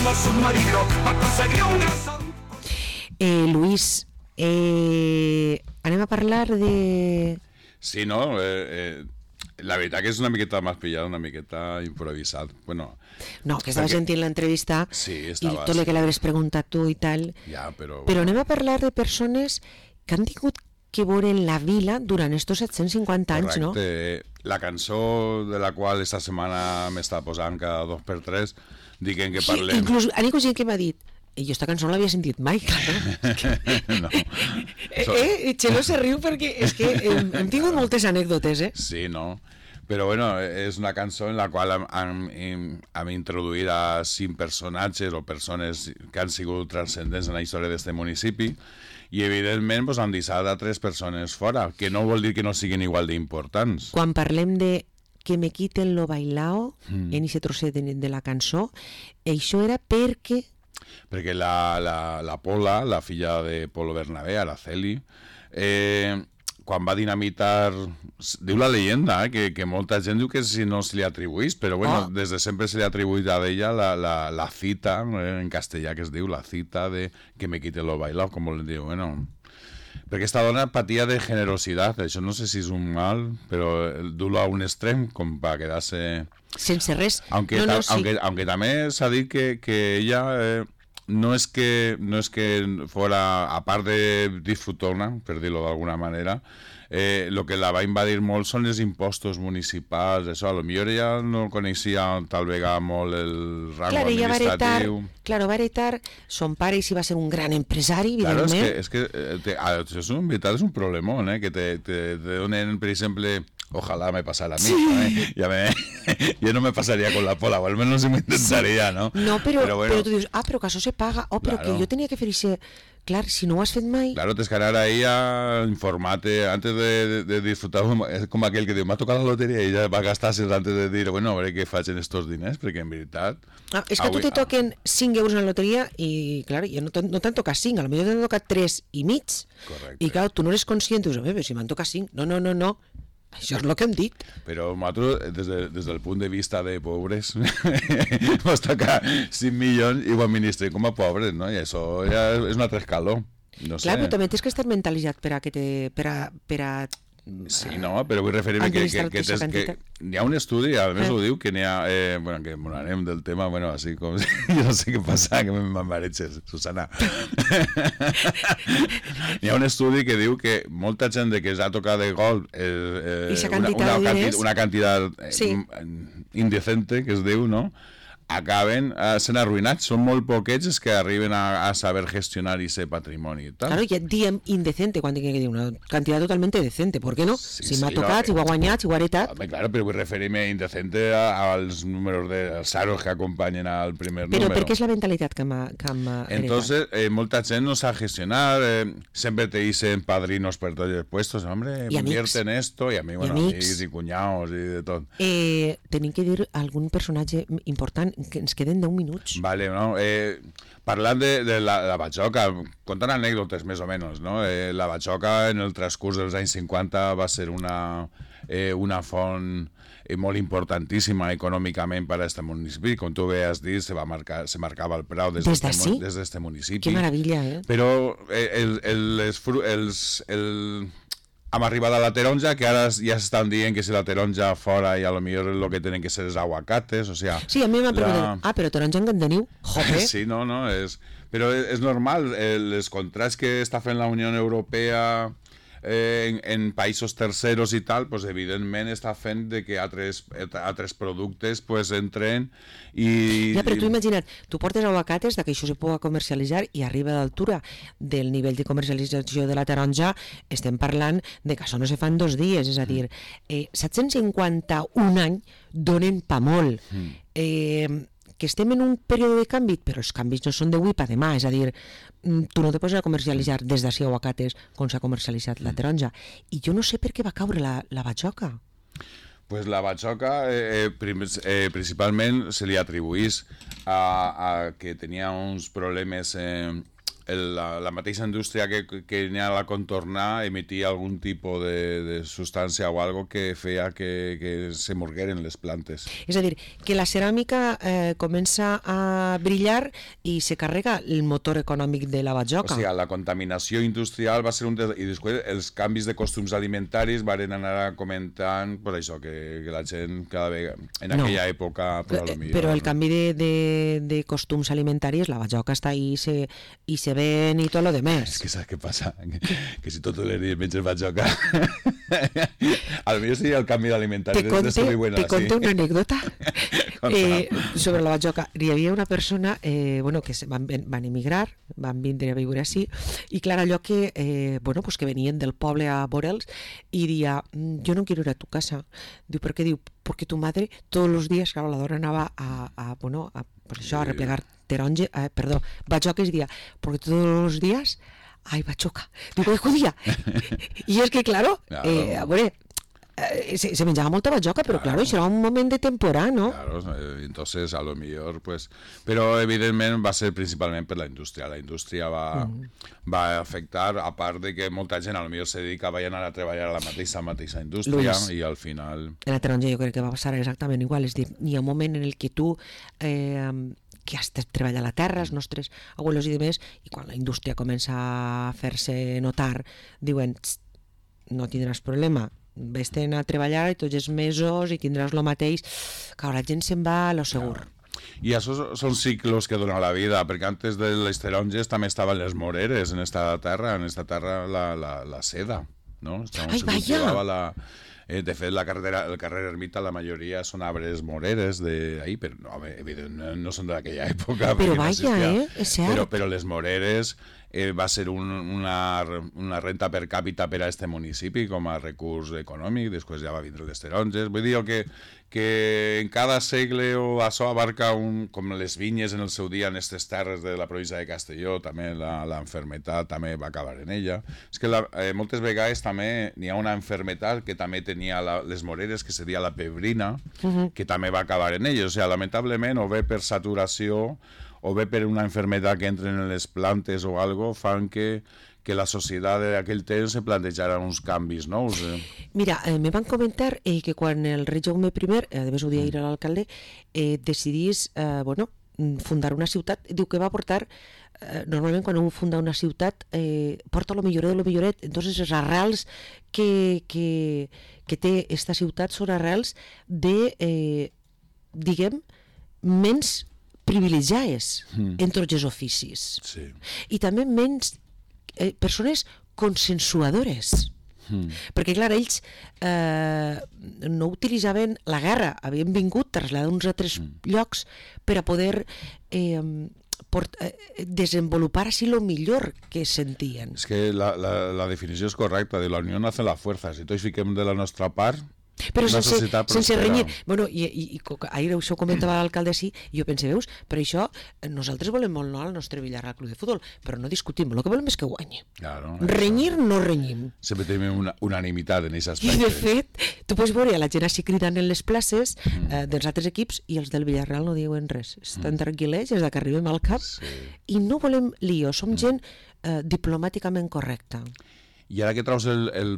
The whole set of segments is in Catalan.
como submarino para conseguir un gran salto. Luis, anem a parlar de... Sí, no? La veritat que és una miqueta més pillada, una miqueta improvisat. Bueno, No, que estava sentint l'entrevista sí, i estava, tot el que l'hauràs preguntat tu i tal. ja, però Anem a parlar de persones que han tingut que veure la vila durant estos 750 anys, no? correcte. La cançó de la qual esta setmana m'està posant cada 2x3 dient que Sí, parlem... inclús ha hagut gent que m'ha dit i jo esta cançó no l'havia sentit mai, claro. No. Xelo se riu perquè és que hem tingut moltes anècdotes, Sí, no? Però bueno, és una cançó en la qual hem introduït a 5 personatges o persones que han sigut transcendents en la història d'aquest municipi i evidentment pues, han deixat a 3 persones fora, que no vol dir que no siguin igual d'importants. Quan parlem de que me quiten lo bailao en ese trosset de la cançó, això era perquè Perquè la Pola, la filla de Polo Bernabé, Araceli, quan va dinamitar... Diu la leyenda, que molta gent diu que si no se li atribuís, però bueno, des de sempre se li ha atribuït a ella la cita, en castellà que es diu, la cita de que me quite lo bailao, com li diu, bueno... Perquè aquesta dona patia de generositat, això no sé si és un mal, però dur-lo a un extrem com per quedar-se... sense res. Aunque també s'ha dit que ella no es que fuera, a part de disfrutona, per dir-lo d'alguna manera, lo que la va invadir molt són els impostos municipals, això, a lo millor ella no coneixia tal vegada molt el rango administratiu. Va heretar son pare i si va ser un gran empresari, Claro, evidentment. és que això en veritat és un problemón, que te donen, per exemple, ojalá me pasara a mí, Sí. Yo no me pasaría con la Pola, o al menos me intentaría, ¿no? No, però bueno, tu dius, però que això se paga, però Claro. que jo tenia que fer això. Clar, si no ho has fet mai... Claro, tienes que anar ahí a informarte antes de disfrutar. Es como aquel que diu, m'ha tocat la loteria i ja va gastar-se antes de dir, bueno, a veure què faig en estos diners, perquè en veritat... És que a tu te toquen 5 euros en la loteria i, clar, ja no t'han tocat 5, potser t'han tocat 3 i mig. Correcte. I, clar, tu no eres conscient, dius, però si m'han tocat 5. No. Això és el que hem dit. Però nosaltres, des del punt de vista de pobres, mos toca 5 milions i ho administrem com a pobres, no? I això ja és un altre escaló. No sé. Clar, però també tens que estar mentalitzat per a Sí, no, però vull referir-me que hi ha un estudi, a més ho diu, que n'hi ha... bueno, que molarem del tema, bueno, així com... Jo no sé què passa, que m'embaretxes, Susana. Hi ha un estudi que diu que molta gent que s'ha tocat de gol una quantitat indecente, que es diu, no?, acaben sent arruïnats. Són molt poquets els que arriben a saber gestionar ese patrimoni. Claro, ja diem indecente, quan tinc que dir una quantitat totalment decente, ¿por qué no? Sí, si m'ha sí, tocat, no, si ho ha guanyat, si ho ha heretat... Home, claro, però vull referir-me indecente als números dels aros que acompanyen al primer Però número. per què és la mentalitat que m'ha heretat? Entonces, molta gent no sabe gestionar, siempre te dicen padrinos per tots els puestos, hombre, invierte en esto, y a mí, bueno, amics i cuñados i de tot. Tenim que dir algun personatge important, que ens queden 10 minuts. Vale, no, parlant de la Batxoca, contant anècdotes més o menys, no? La Batxoca en el transcurs dels anys 50 va ser una font molt importantíssima econòmicament per a aquest municipi. Com tu bé has dit, se marcava el preu des d'este municipi. Que meravella, Però hem arribat a la taronja, que ara ja s'estan dient que si la taronja fora i a lo millor el que tenen que ser els aguacates, o sea... Sí, a mi m'ha preguntat, però taronja en Gandeniu? Joder! Sí, no, però és normal, els contrats que està fent la Unió Europea en països terceros i tal, pues evidentment està fent de que altres productes pues entren i... Ja, però tu imagina't, tu portes aguacates que això se pugui comercialitzar i arriba a l'altura del nivell de comercialització de la taronja, estem parlant de que això no se fa en 2 dies, és a dir, 751 anys donen pa molt. Que estem en un període de canvi, però els canvis no són d'avui per demà, és a dir, tu no te poses a comercialitzar des d'ací aguacates com s'ha comercialitzat la taronja. I jo no sé per què va caure la batxoca. Pues la batxoca principalment se li atribuís a que tenia uns problemes la mateixa indústria que n'hi ha a la contornar emitia algun tipus de substància o algo que feia que se morgueren les plantes. És a dir, que la ceràmica comença a brillar i se carrega el motor econòmic de la batjoca. O sigui, la contaminació industrial va ser un i després els canvis de costums alimentaris van anar comentant per això, que la gent cada vegada en aquella època però el canvi de costums alimentaris, la batjoca està ahí i se ven i tot lo demás. És que saps què passa? Que si tot l'herís menges batjoca al millor seria el canvi d'alimentari. Te conto una anècdota sobre la batjoca. Hi havia una persona que van emigrar, van vindre a viure així, i clar, allò que que venien del poble a veure'ls i dia, yo no quiero ir a tu casa. Diu, ¿por qué? Diu, porque tu madre todos los días, claro, la dona anava a replegar batjoques, i dia, porque todos los días hay batjoca. Digo, judía. Y es que, claro, se menjava molta batjoca, però claro, això era un moment de temporada, ¿no? Claro, entonces a lo mejor, pues... Però evidentment va ser principalment per la indústria. La indústria va afectar, a part de que molta gent a lo mejor se dedicava a anar a treballar a la mateixa indústria, Luis, i al final... En la taronja jo crec que va passar exactament igual, és dir, hi ha un moment en el que tu... que has de treballar a la terra, els nostres abuelos i demés, i quan la indústria comença a fer-se notar, diuen, no tindràs problema, vés-te'n a treballar i tots els mesos i tindràs el mateix, que la gent se'n va a lo segur. I això són ciclos que dona la vida, perquè antes de les taronges també estaven les moreres en esta terra la seda, no? Ai, vaja! De fet, el carrer Ermita, la majoria són arbres moreres d'ahir, però no, evidentment no són d'aquella època. Però vaja, és cert. Però les moreres va ser una renta per càpita per a este municipi com a recurs econòmic, després ja va vindre les taronges. Vull dir que en cada segle això abarca com les vinyes en el seu dia en aquestes terres de la província de Castelló, també l'enfermetat també va acabar en ella. És que moltes vegades també n'hi ha una enfermetat que també tenia les moreres, que seria la pebrina, que també va acabar en ella. O sigui, lamentablement, o bé per saturació o bé per una enfermedad que entren en les plantes o algo, fan que la societat d'aquell temps se plantejara uns canvis nous. Mira, me van comentar que quan el rei Jaume I, a més ho dia ir a l'alcalde, decidís fundar una ciutat, diu que va portar, normalment quan un funda una ciutat, porta lo milloret de lo milloret, entonces les arrels que té esta ciutat són arrels de, diguem, menys privilegiades en tots els oficis. Sí. I també menys persones consensuadores. Perquè, clar, ells no utilitzaven la guerra, havien vingut a traslladar uns altres llocs per a poder desenvolupar així el millor que sentien. És que la definició és correcta, de la unió hace la fuerza. Si tots fiquem de la nostra part, però sense renyir. Bueno, i ahir això ho comentava l'alcalde així, i jo pensé, veus, per això nosaltres volem molt al nostre Villarreal Club de Futbol, però no discutim, el que volem és que guanyi. Claro, renyir no renyim. Sempre tenim una unanimitat en aquest aspecte. I de fet, tu pots veure la gent així cridant en les places dels altres equips i els del Villarreal no diuen res. Estan tranquil·lets des que arribem al camp i no volem lío, som gent diplomàticament correcta. I ara que traus el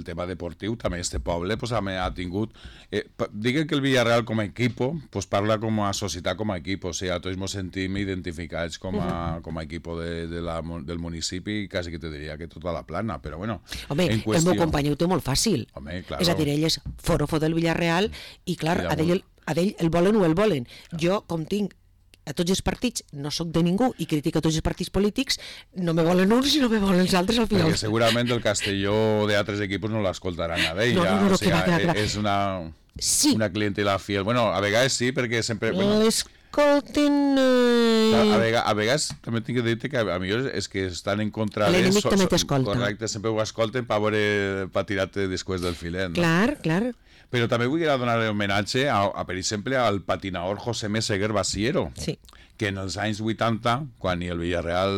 tema deportiu, també este poble ha tingut... Diguen que el Villarreal com a equip parla com a societat com a equip, o sigui, tots ens sentim identificats com a equip del municipi, quasi que te diria que tota la plana, però bueno... Home, el meu company ho té molt fàcil. Home, claro. És a dir, ell és forofo del Villarreal i, clar, a ell el volen o el volen. Jo, com tinc a tots els partits, no sóc de ningú i critico tots els partits polítics, no me volen uns i no me volen els altres al final. Perquè segurament el Castelló d'altres equips no l'escoltaran a d'ella. No, o sigui, clar. És una clientela fiel. Bueno, a vegades sí, perquè sempre... L'escolten... A vegades també tinc que dir-te que a millor és que estan en contra de... L'enemic també t'escolta. Correcte, sempre ho escolten per tirar-te després del filet. No? Clar. Però també vull donar homenatge per exemple, al patinador José Meseguer Basiero, Sí. que en els anys 80, quan el Villarreal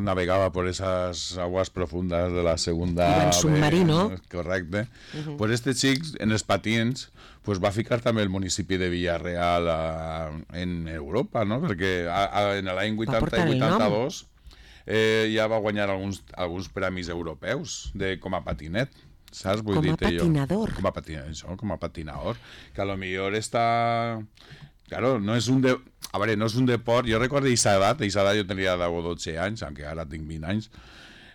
navegava por esas aguas profundas de la segunda... Iba en submarino. Correcte. Pues este xic, en els patins, pues va ficar també el municipi de Villarreal en Europa, no? Perquè en l'any 80 portar i el nom. 82 ja va guanyar alguns premis europeus com a patinet. Saps? Vull Com a dir-te jo. patinador. Com a patinador. Que a lo millor està... Claro, no és un no és un deport... Jo recordo aquesta edat jo tenia 10 o 12 anys, aunque ara tinc 20 anys,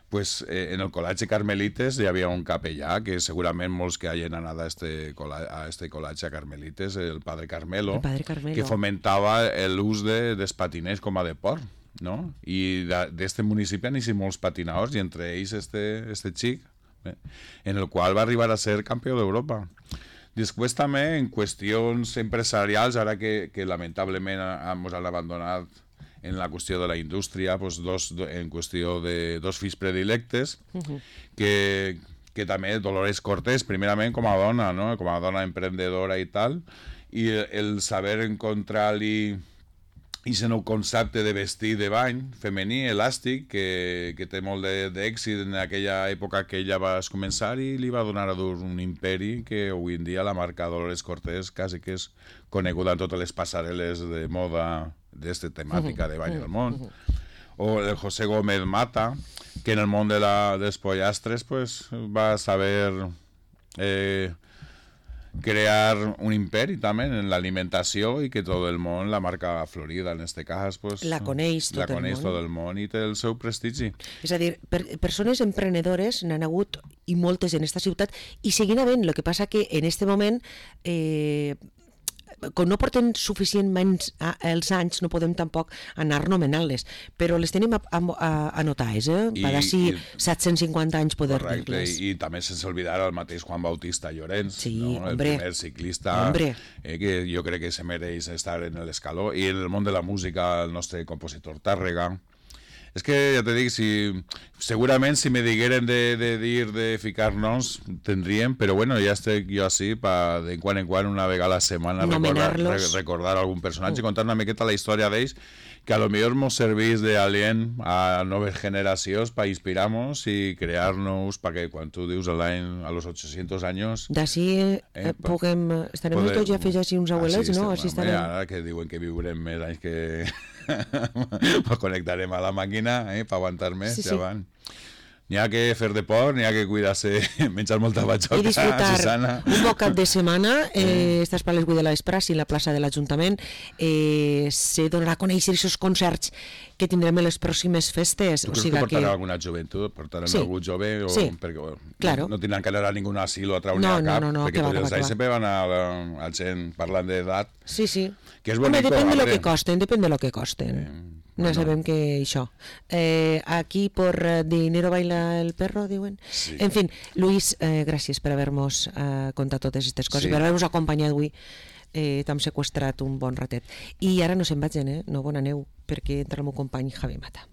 pues en el col·legi Carmelites hi havia un capellà, que segurament molts que hagin anat a este col·legi a Carmelites, el padre Carmelo, que fomentava l'ús dels patinets com a deport, no? I d'este municipi han eixit molts patinadors, i entre ells este xic, en el qual va arribar a ser campió d'Europa. Després també en qüestions empresarials, ara que lamentablement ens han abandonat en la qüestió de la indústria, pues en qüestió de dos fills predilectes, que també Dolores Cortés, primerament com a dona, no? Com a dona emprendedora i tal, i el saber encontrar-li i el nou concepte de vestir de bany femení, elàstic, que té molt d'èxit en aquella època que ella va començar, i li va donar a dur un imperi que avui en dia la marca Dolores Cortés quasi que és coneguda en totes les passarel·les de moda d'esta temàtica de bany al món. O el José Gómez Mata, que en el món dels pollastres pues, va saber crear un imperi també en l'alimentació, i que tot el món, la marca Florida en este cas, pues, la coneix tot el món i té el seu prestigi. És a dir, persones emprenedores n'han hagut, i moltes en esta ciutat, i seguint havent. El que passa que en este moment com no porten suficientment els anys, no podem tampoc anar nomenant-les, però les tenim anotades, per d'ací 750 anys poder dir-les. I també sense oblidar el mateix Juan Bautista Llorenç, sí, no? El primer ciclista, que jo crec que se mereix estar en l'escaló, i en el món de la música el nostre compositor Tàrrega. És que, ja te dic, segurament si me digueren de ficar-nos, tindríem, però bueno, ja estic jo així, de quan en quan, una vegada a la setmana, recordar algun personatge, contar una miqueta la història d'ells, que a lo millor ens serveix d'alient a noves generacions per inspirar-nos i crear-nos, perquè quan tu dius a los 800 anys... D'ací estarem tots ja fets així uns abuelets, no? Ara que diuen que viurem més anys que... connectarem a la màquina per aguantar més, ja van. N'hi ha que fer deport, n'hi ha que cuidar-se, menjar molta batxoca, i disfrutar Susana. Un bon cap de setmana. Estàs per les 8 de l'Espra, i la plaça de l'Ajuntament se donarà a conèixer aquests concerts que tindrem en les pròximes festes. Tu creus que portarà alguna joventut? Portaran algú jove? Perquè no tindran que anar a ningú asil o a traure a cap, perquè tots els anys sempre van a gent parlant d'edat. Sí. Que és bonico. Depèn de lo que costen. No sabem que això. Aquí por dinero baila el perro, diuen. Sí. En fin, Luis, gràcies per haver-nos contat totes aquestes coses, per haver-nos acompanyat avui. T'hem seqüestrat un bon ratet. I ara no se'n vagin, no bona neu, perquè entra el meu company Javi Mata.